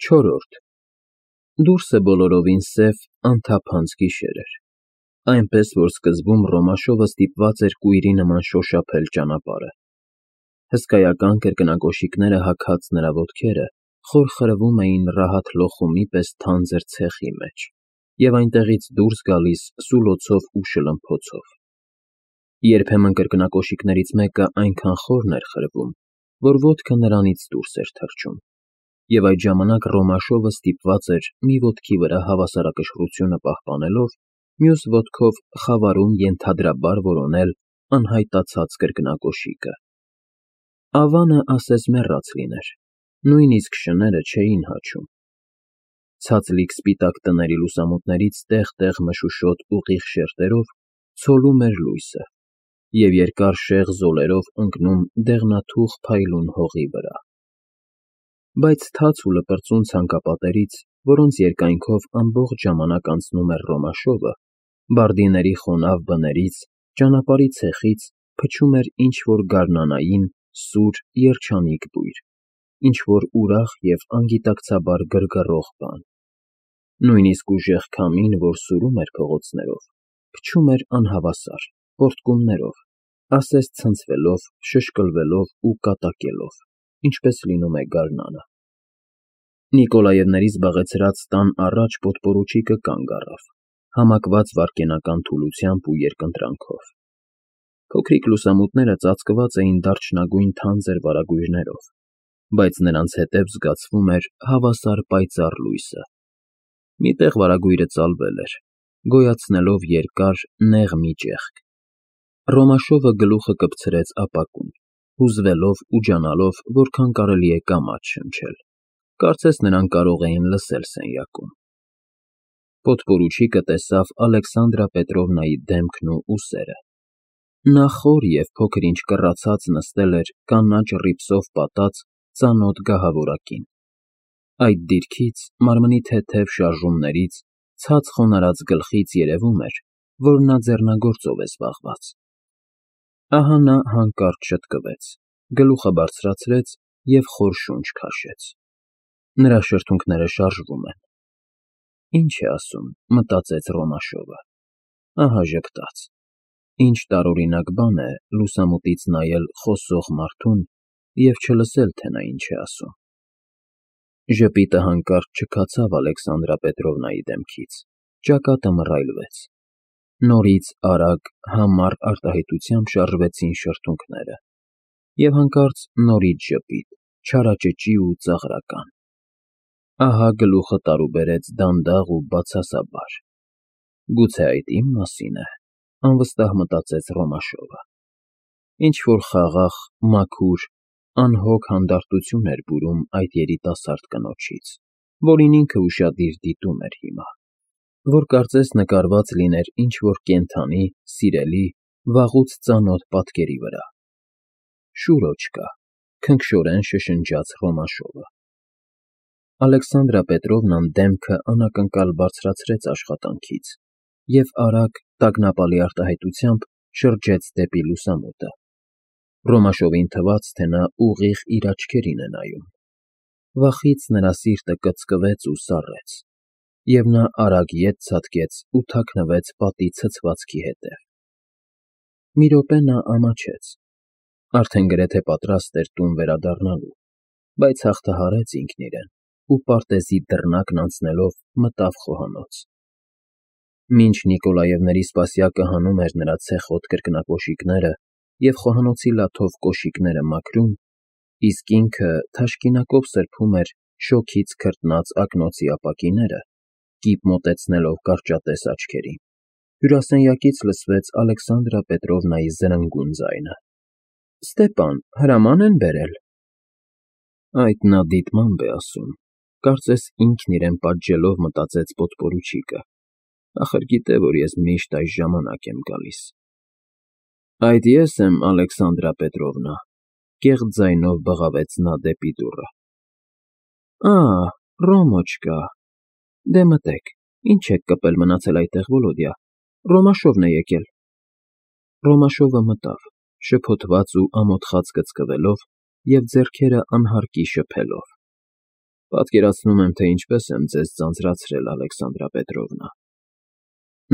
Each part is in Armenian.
Չորրորդ Դուրսը բոլորովին սև, անթափանց գիշեր էր, այնպես, որ սկզբում Ռոմաշովը ստիպված էր կույրի նման շոշափել ճանապարհը։ Հսկայական կրկնակոշիկները հագած նրա ոտքերը խորխրվում էին ռահատ լոխումի պես թանձր ցեխի մեջ և այնտեղից դուրս գալիս սուլոցով ու շլմփոցով։ Երբեմն կրկնակոշիկներից մեկը այնքան խորն էր խրվում, որ ոտքը նրանից դուրս էր թռչում, և այդ ժամանակ Ռոմաշովը ստիպված էր մի ոտքի վրա հավասարակշռությունը պահպանելով, մյուս ոտքով խավարում ենթադրաբար որոնել անհայտացած կրկնակոշիկը։ Ավանը ասես մեռած լիներ, նույնիսկ շները չէին հաչում։ Ցածլիկ սպիտակ տների լուսամուտներից տեղ-տեղ մշուշոտ ուղիղ շերտերով ցոլում էր լույսը և երկար շեղ զոլերով ընկնում դեղնաթուխ փայլուն հողի վրա։ Բայց թաց ու լպրծուն ցանկապատերից, որոնց երկայնքով ամբողջ ժամանակ անցնում էր Ռոմաշովը, բարդիների խոնավ բներից, ճանապարհի ցեխից փչում էր ինչ-որ գարնանային, սուր, երջանիկ բույր, ինչ-որ ուրախ և անգիտակցաբար գրգռող բան։ Նույնիսկ ուժեղ քամին, որ սուրում էր փողոցներով, փչում էր անհավասար, պոռթկումներով, ասես ցնցվելով, շշկլվելով ու կատակելով, ինչպես լինում է գարնանը։ Նիկոլաևների զբաղեցրած տան առաջ պոդպորուչիկը կանգ առավ, համակված վայրկենական թուլությամբ ու երկընտրանքով։ Փոքրիկ լուսամուտները ծածկված էին դարչնագույն թանձր վարագույրներով, բայց նրանց հետև զգացվում էր հավասար պայծառ լույսը։ Մի տեղ վարագույրը ծալվել էր, գոյացնելով երկար, նեղ մի ճեղք։ Ռոմաշովը գլուխը կպցրեց ապակուն, հուզվելով ու ջանալով որքան կարելի է կամաց շնչել, կարծես նրան կարող էին լսել սենյակում։ Պոդպորուչիկը տեսավ Ալեքսանդրա Պետրովնայի դեմքն ու ուսերը։ Նա խոր և փոքր-ինչ կռացած նստել էր կանաչ ռիպսով պատած ծանոթ գահավորակին։ Այդ դիրքից, մարմնի թեթև շարժումներից, ցած խոնարհած գլխից երևում էր, որ նա ձեռնագործով է զբաղված։ Ահա նա հանկարծ շտկվեց, գլուխը բարձրացրեց և խոր շունչ քաշեց։ Նրա շրթունքները շարժվում են։ Ինչ է ասում, մտածեց Ռոմաշովը։ Ահա ժպտաց։ Ինչ տարօրինակ բան է լուսամուտից նայել խոսող մարդուն և չլսել, թե նա ինչ է ասում։ Ժպիտը հանկարծ չքացավ Ալեքսանդրա Պետրովնայի դեմքից, ճակատը մռայլվեց։ Նորից արագ, համառ արտահայտությամբ շարժվեցին շրթունքները, և հանկարծ նորից ժպիտ, չարաճճի ու ծաղրական։ Ահա գլուխը տարուբերեց դանդաղ ու բացասաբար։ Գուցե այդ իմ մասին է, անվստահ մտածեց Ռոմաշովը։ Ինչ-որ խաղաղ, մաքուր, անհոգ հանդարտություն էր բուրում այդ երիտասարդ կնոջից, որին ինքը ուշադիր դիտում էր հիմա, որ կարծես նկարված լիներ ինչ-որ կենդանի, սիրելի, վաղուց ծանոթ պատկերի վրա։ Շուրոջ կա, քնքշորեն շշնջաց Ռոմաշովը։ Ալեքսանդրա Պետրովնան դեմքը անակնկալ բարձրացրեց աշխատանքից և արագ, տագնապալի արտահայտությամբ շրջեց դեպի լուսամուտը։ Ռոմաշովին թվաց, թե նա ուղիղ իր աչքերին է նայում։ Վախից նրա սիրտը կծկվեց ու սառեց, և նա արագ ետ ցատկեց ու թաքնվեց պատի ցցվածքի հետև։ Մի րոպե նա ամաչեց, արդեն գրեթե պատրաստ էր տուն վերադառնալու, բայց հաղթահարեց ինքն իրեն ու պարտեզի դռնակն անցնելով մտավ խոհանոց։ Մինչ Նիկոլաևների սպասյակը հանում էր նրա ցեխոտ կրկնակոշիկները և խոհանոցի լաթով կոշիկները մաքրում, իսկ ինքը թաշկինակով սրբում էր շոգից քրտնած ակնոցի ապակիները, կիպ մոտեցնելով կարճատես աչքերին, հյուրասենյակից լսվեց Ալեքսանդրա Պետրովնայի զրնգուն ձայնը. Ստեպան, հրաման են բերել։ Այդ նա դիտմամբ է ասում, կարծես ինքն իրեն պատժելով մտածեց պոդպորուչիկը, ախր գիտե, որ ես միշտ այս ժամանակ եմ գալիս։ Այդ ես եմ, Ալեքսանդրա Պետրովնա, կեղծ ձայնով բղավեց նա դեպի դուռը։ Ռոմոչկա, դե մտեք, ինչ եք կպել մնացել այդտեղ, Վոլոդյա, Ռոմաշովն է եկել։ Ռոմաշովը մտավ, շփոթված ու ամոթխած կծկվելով և ձեռքերը անհարկի շփելով։ Պատկերացնում եմ, թե ինչպես եմ ձեզ ձանձրացրել, Ալեքսանդրա Պետրովնա։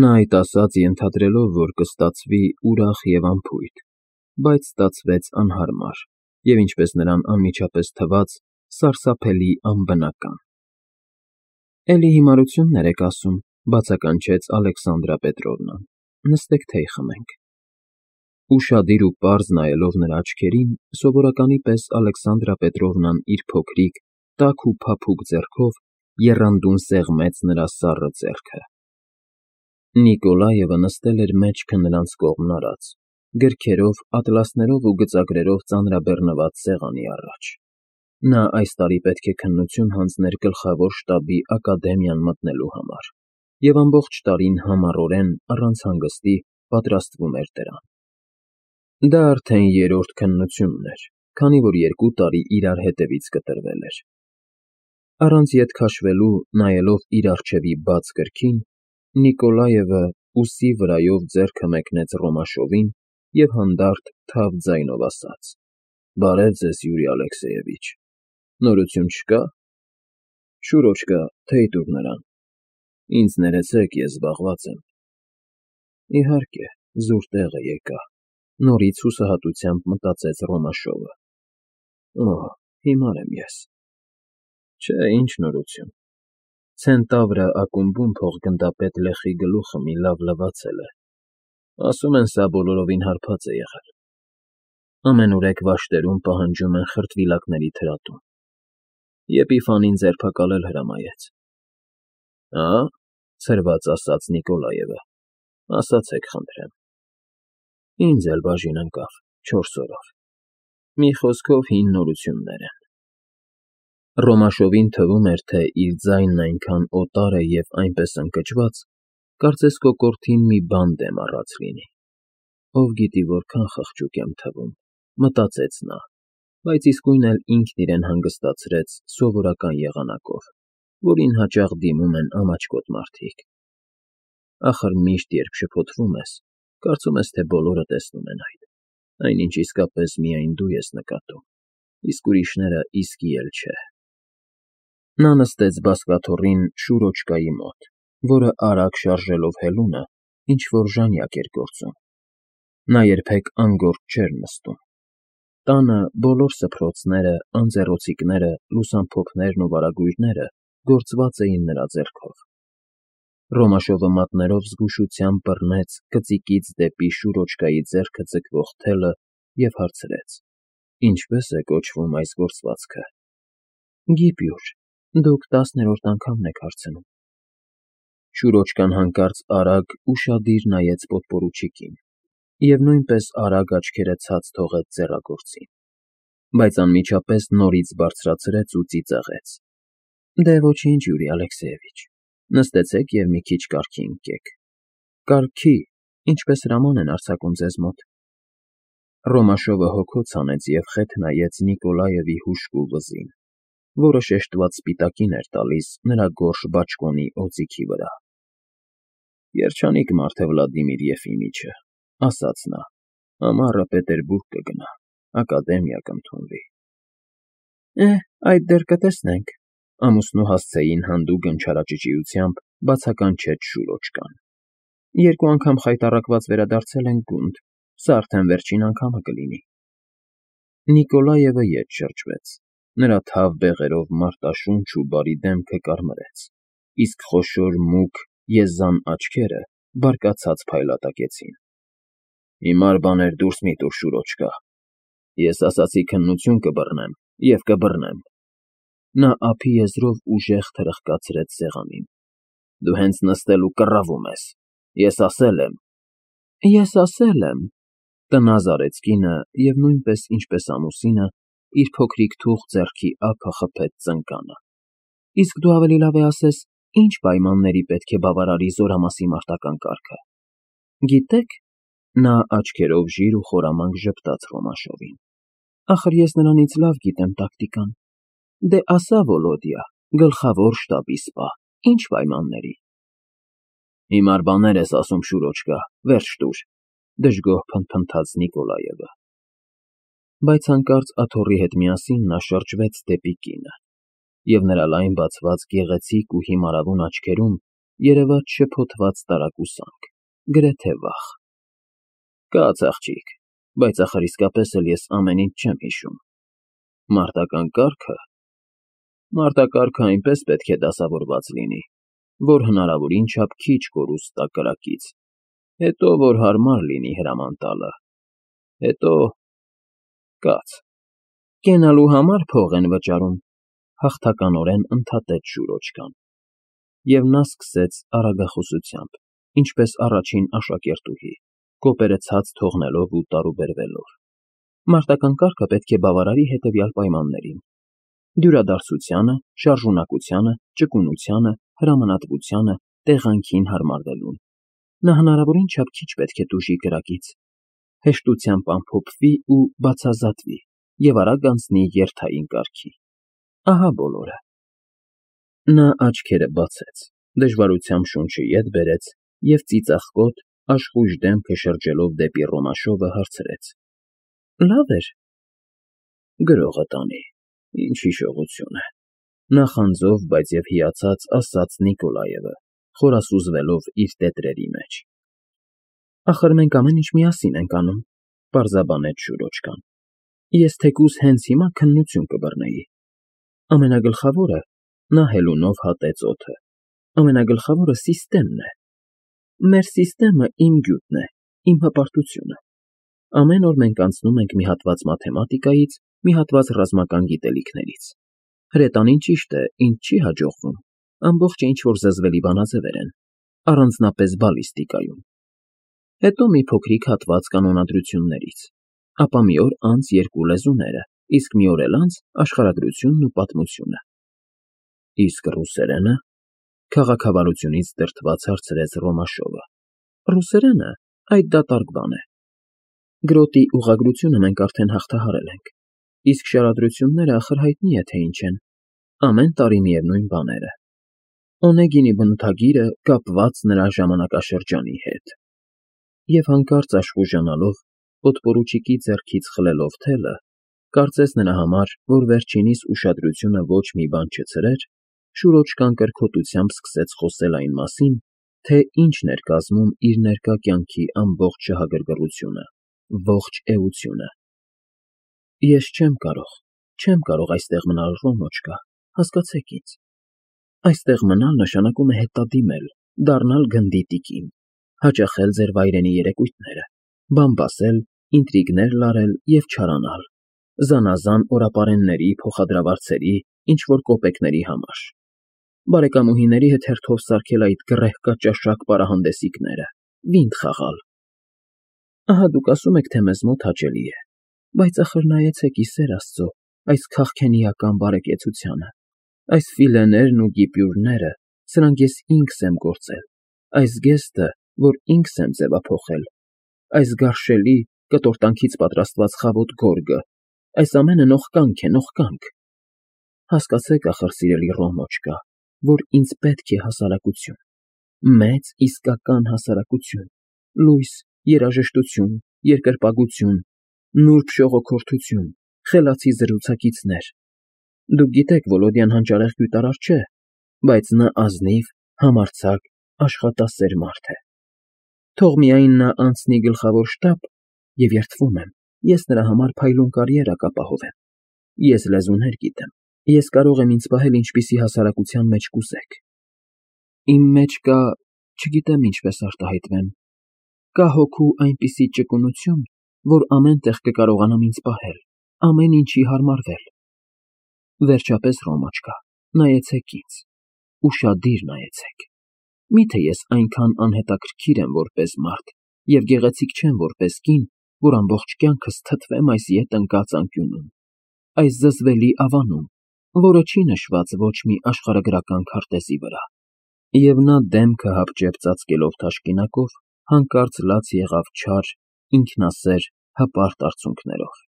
Նա այդ ասաց ենթադրելով, որ կստացվի ուրախ և անփույթ, բայց ստացվեց անհարմար և, ինչպես նրան անմիջապես թվաց, սարսափելի անբնական։ Էլի հիմարություններ եք ասում, բացականչեց Ալեքսանդրա Պետրովնան, նստեք թեյ խմենք։ Ուշադիր ու պարզ նայելով նրա աչքերին, սովորականի պես Ալեքսանդրա Պետրովնան իր փոքրիկ, տաք ու փափուկ ձեռքով եռանդուն սեղմեց նրա սառը ձեռքը։ Նիկոլաևը նստել էր մեջքը նրանց կողմն արած, գրքերով, ատլասներով ու գծագրերով ծանրաբեռնված սեղանի առաջ։ Նա այս տարի պետք է քննություն հանձներ գլխավոր շտաբի ակադեմիան մտնելու համար, և ամբողջ տարին համառորեն, առանց հանգստի, պատրաստվում էր դրան։ Դա արդեն երրորդ քննությունն էր, քանի որ 2 տարի իրար հետևից կտրվել էր։ Առանց ետ քաշվելու, նայելով իր առջևի բաց գրքին, Նիկոլաևը ուսի վրայով ձեռքը մեկնեց Ռոմաշովին և հանդարտ, թավ ձայնով ասաց. «Բարև ձեզ, Յուրի Ալեքսեևիչ, նորություն չկա։ Շուրոչկա, թեյ տուր նրան։ Ինձ ներեցեք, ես զբաղված եմ»։ Իհարկե, զուր տեղը եկա, նորից հուսահատությամբ մտածեց Ռոմաշովը։ Օհ, հիմար եմ ես։ Չէ, ինչ նորություն։ Ցենտավրը ակումբում փոխգնդապետ Լեխի գլուխը մի լավ լվացել է։ Ասում են, սա բոլորովին հարբած է եղել։ Ամենուրեք վաշտերում պահանջում են խրտվիլակների թրատում։ Եպիֆանին ձերբակալել հրամայեց։ Ա՞, ցրված ասաց Նիկոլաևը, ասացեք խնդրեմ։ Ինձ էլ բաժին ընկավ 4 օրով։ Մի խոսքով հին նորություններ են։ Ռոմաշովին թվում էր, թե իր ձայնն այնքան օտար է և այնպես ընկճված, կարծես կոկորդին մի բան դեմ առած լինի։ Ով գիտի որքան խղճուկ եմ թվում, մտածեց նա, բայց իսկույն էլ ինքն իրեն հանգստացրեց սովորական եղանակով, որին հաճախ դիմում են ամաչկոտ մարդիկ։ Ախր միշտ, երբ շփոթվում ես, կարծում ես, թե բոլորը տեսնում են այդ, այնինչ իսկապես միայն դու ես նկատում, իսկ ուրիշները իսկի էլ չէ։ Նա նստեց բազկաթոռին Շուրոչկայի մոտ, որը արագ շարժելով հելունը, ինչ-որ ժանյակ էր գործում։ Նա երբեք անգործ չէր նստում։ Տանը բոլոր սփռոցները, անձեռոցիկները, լուսամփոփներն ու վարագույրները գործված էին նրա ձեռքով։ Ռոմաշովը մատներով զգուշությամբ բռնեց կծիկից դեպի Շուրոչկայի ձեռքը ձգվող թելը և հարցրեց. Ինչպե՞ս է կոչվում այս գործվածքը։ Գիպյուր, դուք 10-րդ անգամն եք հարցնում։ Շուրոչկան հանկարծ արագ, ուշադիր նայեց պոդպորուչիկին և նույնպես արագ աչքերը ցած թողեց ձեռագործին, բայց անմիջապես նորից բարձրացրեց ու ծիծաղեց. Դե ոչինչ, Յուրի Ալեքսեևիչ, նստեցեք և մի քիչ կարգի ընկեք։ Կարգի, ինչպես հրաման են արձակում ձեզ մոտ։ Ռոմաշովը հոգոց հանեց և խեթ նայեց Նիկոլաևի հուժկու վզին, որը շեշտված սպիտակին էր տալիս նրա գորշ բաճկոնի օձիքի վրա։ Երջանիկ մարդ է Վլադիմիր Եֆիմիչը, ասաց նա, ամառը Պետերբուրգ կգնա, ակադեմիա կընդունվի։ Այդ դեռ կտեսնենք, ամուսնու հասցեին հանդուգն չարաճճիությամբ բացականչեց Շուրոչկան։ 2 անգամ խայտառակված վերադարձել ենք գունդ, սա արդեն վերջին անգամը կլինի։ Նիկոլաևը ետ շրջվեց, նրա թավ բեղերով մարտաշունչ ու բարի դեմքը կարմրեց, իսկ խոշոր մուգ եզան աչքերը բարկացած փայլատակեցին։ Հիմար բաներ դուրս մի տուր, Շուրոչկա, ես ասացի քննություն կբռնեմ և կբռնեմ։ Նա ափի եզրով ուժեղ թրխկացրեց սեղանին։ Դու հենց նստել ու կռավում ես, ես ասել եմ։ Ես ասել եմ, տնազ արեց կինը և նույնպես ինչպես ամուսինը, իր փոքրիկ թուխ ձեռքի ափը խփեց ծնկանը։ Իսկ դու ավելի լավ է ասես, ինչ պայմանների պետք է բավարարի զորամասի մարտական կարգը։ Գիտեք, նա աչքերով ժիր ու խորամանկ ժպտաց Ռոմաշովին։ Ախր ես նրանից լավ գիտեմ տակտիկան։ Դե ասա, Վոլոդյա, գլխավոր շտաբի սպա, ինչ պայմանների։ Հիմար բաներ ես ասում, Շուրոչկա, վերջ տուր, դժգոհ փնթփնթաց Նիկոլաևը։ Բայց հանկարծ աթոռի հետ միասին նա շրջվեց դեպի կինը։ և նրա լայն բացված գեղեցիկ ու հիմարավուն աչքերում երևաց շփոթված տարակուսանք, գրեթե վախ։ Կաց աղջիկ, բայց ախր իսկապես էլ ես ամեն ինչ չեմ հիշում։ Մարտական կարգը այնպես պետք է դասավորված լինի, որ հնարավորին չափ քիչ կորուստ տա կրակից, հետո որ հարմար լինի հրաման տալը, հետո… Կաց։ Կենալու համար փող են վճարում, հաղթականորեն ընդհատեց Շուրոջկան, և նա սկսեց արագախոսությամբ, ինչպես առաջին աշակերտուհի, կոպերը ցած թողնելով ու տարուբերվելով. Մարտական կարգը պետք է բավարարի հետևյալ պայմաններին. դյուրադարձությանը, շարժունակությանը, ճկունությանը, հրամանատվությանը, տեղանքին հարմարվելուն։ Նա հնարավորին չափ քիչ պետք է տուժի կրակից, հեշտությամբ ամփոփվի ու բացազատվի և արագ անցնի երթային կարգի։ Ահա բոլորը։ Նա աչքերը բացեց, դժվարությամբ շունչը ետ բերեց և ծիծաղկոտ, աշխույժ դեմքը շրջելով դեպի Ռոմաշովը հարցրեց. Լավ էր։ Գրողը տանի, ինչ հիշողություն է, նախանձով, բայց և հիացած ասաց Նիկոլաևը, խորասուզվելով իր տետրերի մեջ։ Ախր մենք ամեն ինչ միասին ենք անում, պարզաբանեց Շուրոջկան։ Ես թեկուզ հենց հիմա քննություն կբռնեի։ Ամենագլխավորը, նա հելունով հատեց օդը, ամենագլխավորը սիստեմն է։ Մեր սիստեմը իմ գյուտն է, իմ հպարտությունը։ Ամեն օր մենք անցնում ենք մի հատված մաթեմատիկայից, մի հատված ռազմական գիտելիքներից։ Հրետանին ճիշտ է, ինձ չի հաջողվում, ամբողջը ինչ-որ զզվելի բանաձևեր են, առանձնապես բալիստիկայում։ Հետո մի փոքրիկ հատված կանոնադրություններից, ապա մի օր անց երկու լեզուները, իսկ մի օր էլ անց աշխարհագրությունն ու պատմությունը։ Իսկ ռուսերենը, քաղաքավարությունից դրդված հարցրեց Ռոմաշովը։ Ռուսերենը, այդ դատարկ բան է։ Գրոտի ուղղագրությունը մենք արդեն հաղթահարել ենք, իսկ շարադրությունները ախր հայտնի է, թե ինչ են, ամեն տարի միևնույն բաները։ Օնեգինի բնութագիրը կապված նրա ժամանակաշրջանի հետ։ Եվ հանկարծ աշխուժանալով, պոդպորուչիկի ձեռքից խլելով թելը, կարծես նրա համար, որ վերջինիս ուշադրությունը ոչ մի բան չցրեր, Շուրոջկան կրքոտությամբ սկսեց խոսել այն մասին, թե ինչն էր կազմում իր ներկա կյանքի ամբողջ շահագրգռությունը, ողջ էությունը։ Ես չեմ կարող այստեղ մնալ, Ռոմոչկա, հասկացեք ինձ։ Այստեղ մնալ նշանակում է հետադիմել, դառնալ գնդի տիկին, հաճախել ձեր վայրենի երեկույթները, բամբասել, ինտրիգներ լարել և չարանալ, զանազան օրապարենների, փոխադրավարձերի, ինչ-որ կոպեկների համար, բարեկամուհիների հետ հերթով սարքել այդ գռեհկաճաշակ պարահանդեսիկները, վինդ խաղալ։ Ահա դուք ասում եք, թե մեզ մոտ հաճելի է, բայց ախր նայեցեք ի սեր Աստծո այս քաղքենիական բարեկեցությանը, այս ֆիլեներն ու գիպյուրները, սրանք ես ինքս եմ գործել, այս գեստը, որ ինքս եմ ձևափոխել, այս գարշելի, կտորտանքից պատրաստված խավոտ գորգը, այս ամենը նողկանք է, նողկանք։ Հասկացեք ախր, սիրելի Ռոմոչկա, որ ինձ պետք է հասարակություն, մեծ իսկական հասարակություն, լույս, երաժշտություն, երկրպագություն, նուրբ ժողոքորթություն, խելացի զրուցակիցներ։ Դուք գիտեք, Վոլոդյան հանճարեղ գյուտարար չէ, բայց նա ազնիվ, համարձակ, աշխատասեր մարդ է։ Թող միայն նա անցնի գլխավոր շտաբ, և երդվում եմ, ես նրա համար փայլուն կարիերա կապահովեմ։ Ես լեզուներ գիտեմ, ես կարող եմ ինձ պահել ինչպիսի հասարակության մեջ կուզեք։ Իմ մեջ կա, չգիտեմ ինչպես արտահայտվեմ, կա հոգու այնպիսի ճկունություն, որ ամեն տեղ կկարողանամ ինձ պահել, ամեն ինչի հարմարվել։ Վերջապես, Ռոմոչկա, նայեցեք ինձ, ուշադիր նայեցեք։ Միթե ես այնքան անհետաքրքիր եմ որպես մարդ և գեղեցիկ չեմ որպես կին, որ ամբողջ կյանքս թթվեմ այս ետ ընկած անկյունում, այս զզվելի ավանում, որը չի նշված ոչ մի աշխարհագրական քարտեզի վրա։ Եվ նա դեմքը հապճեպ ծածկելով թաշկինակով, հանկարծ լաց եղավ չար, ինքնասեր, հպարտ արցունքներով։